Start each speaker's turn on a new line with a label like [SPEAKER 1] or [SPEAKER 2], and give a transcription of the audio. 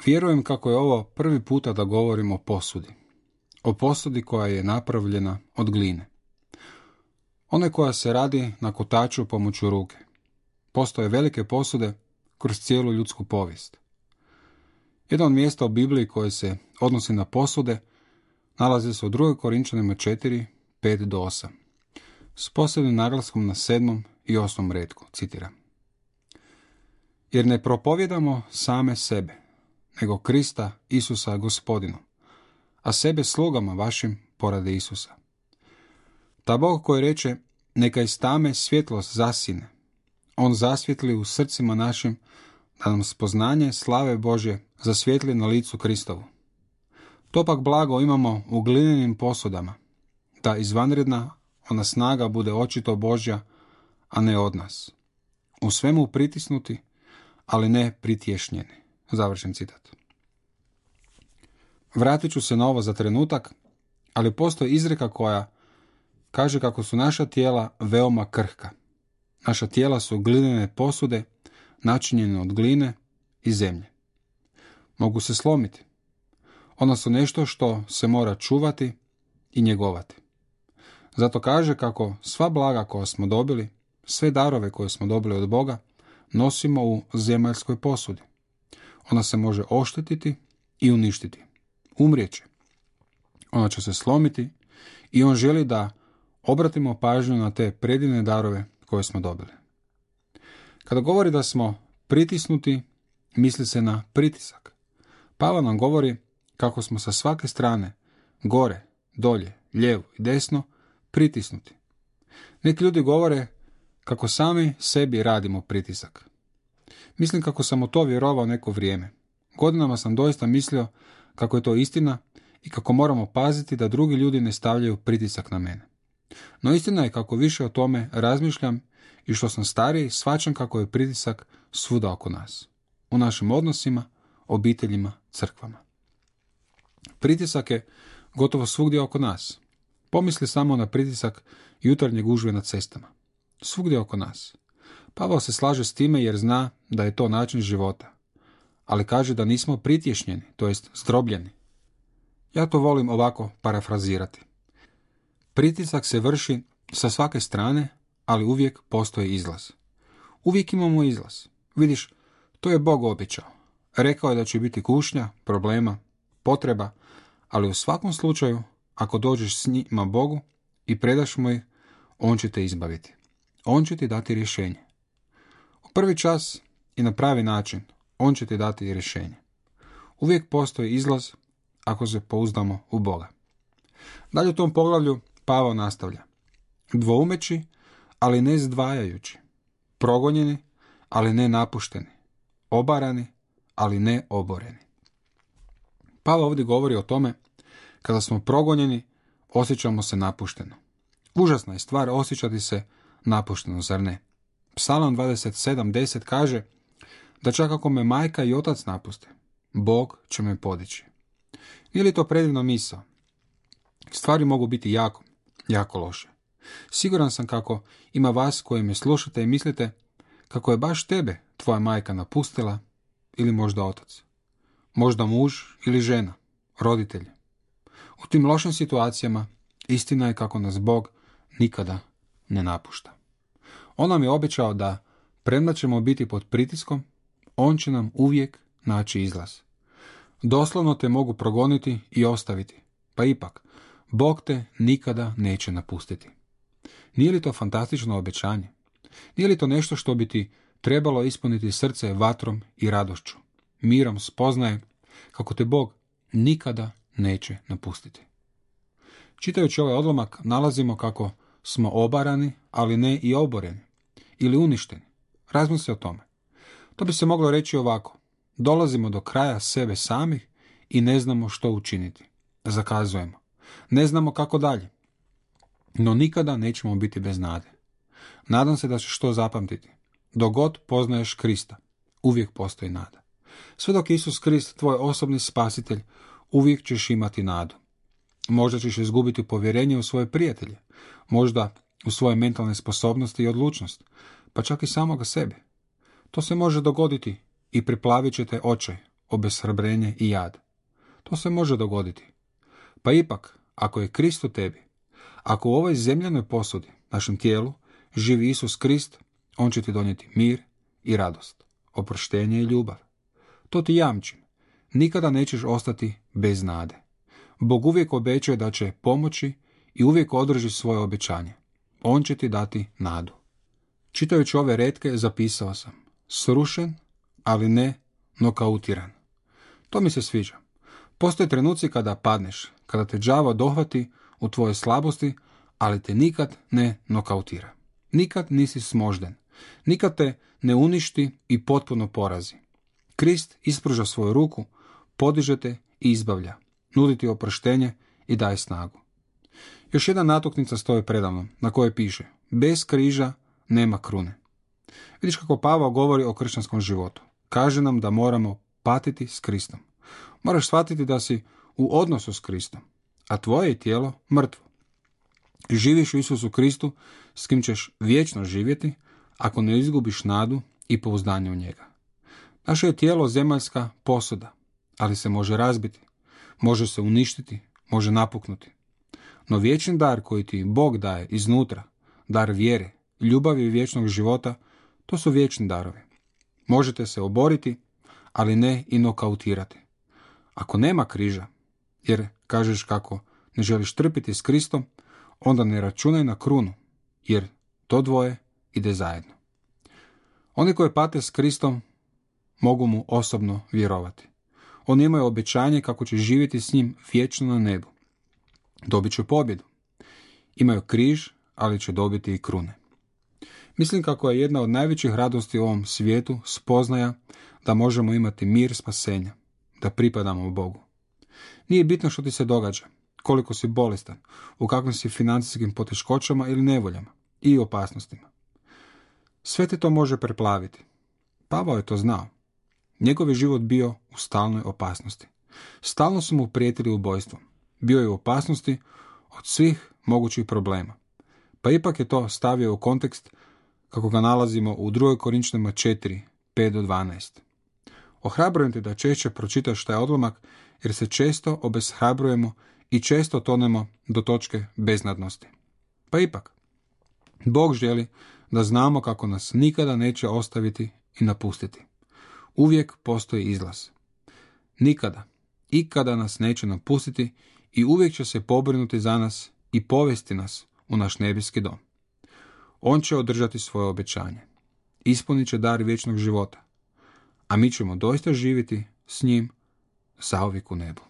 [SPEAKER 1] Vjerujem kako je ovo prvi puta da govorim o posudi. O posudi koja je napravljena od gline. One koja se radi na kotaču pomoću ruke. Postoje velike posude kroz cijelu ljudsku povijest. Jedno od mjesta u Bibliji koje se odnosi na posude nalazi se u 2. Korinčanima 4, 5-8. S posebnim naglaskom na 7. i 8. retku, citiram. Jer ne propovjedamo same sebe, nego Krista Isusa Gospodinu, a sebe slugama vašim poradi Isusa. Ta Bog koji reče, neka iz tame svjetlost zasine, on zasvjetli u srcima našim, da nam spoznanje slave Božje zasvjetli na licu Kristovu. To pak blago imamo u glinenim posudama, da izvanredna ona snaga bude očito Božja, a ne od nas. U svemu pritisnuti, ali ne pritješnjeni. Završen citat. Vratit ću se na ovo za trenutak, ali postoji izreka koja kaže kako su naša tijela veoma krhka. Naša tijela su glinene posude, načinjene od gline i zemlje. Mogu se slomiti. Ona su nešto što se mora čuvati i njegovati. Zato kaže kako sva blaga koja smo dobili, sve darove koje smo dobili od Boga, nosimo u zemaljskoj posudi. Ona se može oštetiti i uništiti. Umrijeće. Ona će se slomiti i on želi da obratimo pažnju na te predivne darove koje smo dobili. Kada govori da smo pritisnuti, misli se na pritisak. Pavao nam govori kako smo sa svake strane, gore, dolje, lijevo i desno, pritisnuti. Neki ljudi govore kako sami sebi radimo pritisak. Mislim kako sam u to vjerovao neko vrijeme. Godinama sam doista mislio kako je to istina i kako moramo paziti da drugi ljudi ne stavljaju pritisak na mene. No istina je kako više o tome razmišljam i što sam stariji, shvaćam kako je pritisak svuda oko nas. U našim odnosima, obiteljima, crkvama. Pritisak je gotovo svugdje oko nas. Pomisli samo na pritisak jutarnje gužve na cestama. Svugdje oko nas. Pavao se slaže s time jer zna da je to način života. Ali kaže da nismo pritješnjeni, to jest zdrobljeni. Ja to volim ovako parafrazirati. Pritisak se vrši sa svake strane, ali uvijek postoji izlaz. Uvijek imamo izlaz. Vidiš, to je Bog obećao. Rekao je da će biti kušnja, problema, potreba, ali u svakom slučaju, ako dođeš s njima Bogu i predaš mu ih, on će te izbaviti. On će ti dati rješenje. U prvi čas i na pravi način, on će ti dati rješenje. Uvijek postoji izlaz ako se pouzdamo u Boga. Dalje u tom poglavlju Pavao nastavlja. Dvoumeći, ali ne zdvajajući. Progonjeni, ali ne napušteni. Obarani, ali ne oboreni. Pavao ovdje govori o tome, kada smo progonjeni, osjećamo se napušteno. Užasna je stvar osjećati se napušteno, zar ne? Psalam 27:10 kaže da čak ako me majka i otac napuste, Bog će me podići. Nije li to predivna misao? Stvari mogu biti jako, jako loše. Siguran sam kako ima vas koji me slušate i mislite kako je baš tebe tvoja majka napustila ili možda otac. Možda muž ili žena, roditelji. U tim lošim situacijama istina je kako nas Bog nikada ne napušta. On nam je obećao da premda ćemo biti pod pritiskom, on će nam uvijek naći izlaz. Doslovno te mogu progoniti i ostaviti, pa ipak, Bog te nikada neće napustiti. Nije li to fantastično obećanje? Nije li to nešto što bi ti trebalo ispuniti srce vatrom i radošću, mirom spoznaje kako te Bog nikada neće napustiti? Čitajući ovaj odlomak nalazimo kako smo obarani, ali ne i oboreni, ili uništeni. Razmisli o tome. To bi se moglo reći ovako. Dolazimo do kraja sebe samih i ne znamo što učiniti. Zakazujemo. Ne znamo kako dalje. No nikada nećemo biti bez nade. Nadam se da ćeš to zapamtiti. Dok god poznaješ Krista, uvijek postoji nada. Sve dok je Isus Krist tvoj osobni spasitelj, uvijek ćeš imati nadu. Možda ćeš izgubiti povjerenje u svoje prijatelje, možda u svoje mentalne sposobnosti i odlučnost, pa čak i samoga sebe. To se može dogoditi i priplavit će te očaj, obeshrabrenje i jad. To se može dogoditi. Pa ipak, ako je Krist u tebi, ako u ovoj zemljanoj posudi, našem tijelu, živi Isus Krist, on će ti donijeti mir i radost, oproštenje i ljubav. To ti jamčim. Nikada nećeš ostati bez nade. Bog uvijek obećaje da će pomoći i uvijek održi svoje obećanje. On će ti dati nadu. Čitajući ove retke zapisao sam: srušen, ali ne nokautiran. To mi se sviđa. Postoje trenuci kada padneš, kada te đavo dohvati u tvoje slabosti, ali te nikad ne nokautira. Nikad nisi smožden. Nikad te ne uništi i potpuno porazi. Krist ispruža svoju ruku, podiže te i izbavlja, nudi ti oproštenje i daje snagu. Još jedna natuknica stoji predamnom, na kojoj piše: bez križa nema krune. Vidiš kako Pavao govori o kršćanskom životu. Kaže nam da moramo patiti s Kristom. Moraš shvatiti da si u odnosu s Kristom, a tvoje je tijelo mrtvo. Živiš u Isusu Kristu, s kim ćeš vječno živjeti, ako ne izgubiš nadu i pouzdanje u njega. Naše je tijelo zemaljska posuda, ali se može razbiti, može se uništiti, može napuknuti. No vječni dar koji ti Bog daje iznutra, dar vjere, ljubavi i vječnog života, to su vječni darovi. Možete se oboriti, ali ne i nokautirati. Ako nema križa, jer kažeš kako ne želiš trpiti s Kristom, onda ne računaj na krunu, jer to dvoje ide zajedno. Oni koji pate s Kristom mogu mu osobno vjerovati. Oni imaju obećanje kako će živjeti s njim vječno na nebu. Dobit će pobjedu. Imaju križ, ali će dobiti i krune. Mislim kako je jedna od najvećih radosti u ovom svijetu spoznaja da možemo imati mir spasenja, da pripadamo Bogu. Nije bitno što ti se događa, koliko si bolestan, u kakvim si financijskim poteškoćama ili nevoljama i opasnostima. Sve te to može preplaviti. Pavao je to znao. Njegov je život bio u stalnoj opasnosti. Stalno su mu prijetili ubojstvom. Bio je u opasnosti od svih mogućih problema. Pa ipak je to stavio u kontekst kako ga nalazimo u 2. Korinčanima 4, 5-12. Ohrabrujem te da češće pročitaš taj odlomak, jer se često obeshrabrujemo i često tonemo do točke beznadnosti. Pa ipak, Bog želi da znamo kako nas nikada neće ostaviti i napustiti. Uvijek postoji izlaz. Nikada, ikada nas neće napustiti i uvijek će se pobrinuti za nas i povesti nas u naš nebeski dom. On će održati svoje obećanje. Ispunit će dar vječnog života. A mi ćemo doista živjeti s njim zauvijek u nebu.